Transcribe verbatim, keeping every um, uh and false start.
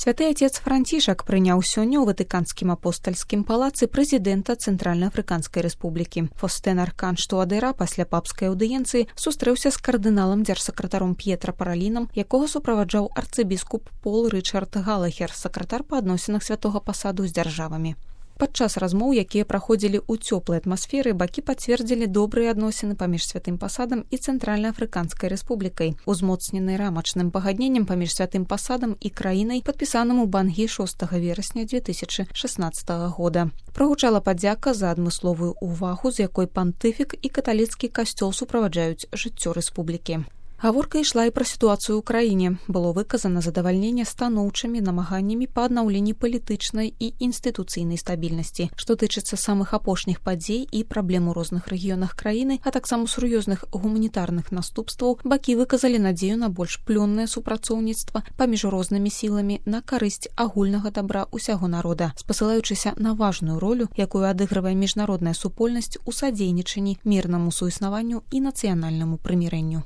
Святы Отец Францішак прыняў сёння ў Ватыканскім апостальскім палацы прэзідэнта Цэнтральна-Афрыканскай Рэспублікі. Фостэн Арканж Туадэра пасля папскай аўдыенцыі сустрэўся з кардыналам дзяржсакратаром П'етра Паралінам, якога суправаджаў арцыбіскуп Пол Рычард Галахер, сакратар па адносінах святога пасаду з дзяржавамі. Падчас размоў, якія праходзілі ў цёплай атмасферы, бакі пацвердзілі добрыя адносіны паміж святым пасадам і Цэнтральна-Афрыканскай Рэспублікай, узмоцненай рамачным пагадненнем паміж святым пасадам і краінай, падпісаным у Бангі шостага верасня дзве тысячы шаснаццатага года. Прагучала падзяка за адмысловую ўвагу, з якой пантыфік і каталіцкі касцёл суправаджаюць жыццё рэспублікі. Гаворка ішла і пра сітуацыю ў краіне. Было выказана задавальненне станоўчымі намаганнямі па аднаўленні палітычнай і інстытуцыйнай стабільнасці. Што тычыцца самых апошніх падзей і праблем у розных рэгіёнах краіны, а таксама сур'ёзных гуманітарных наступстваў, бакі выказалі надзею на больш плённае супрацоўніцтва паміж рознымі сіламі на карысць агульнага дабра ўсяго народа, спасылаючыся на важную ролю, якую адыгрывае міжнародная супольнасць у садзейнічанні мірнаму суіснаванню і нацыянальнаму прымірэнню.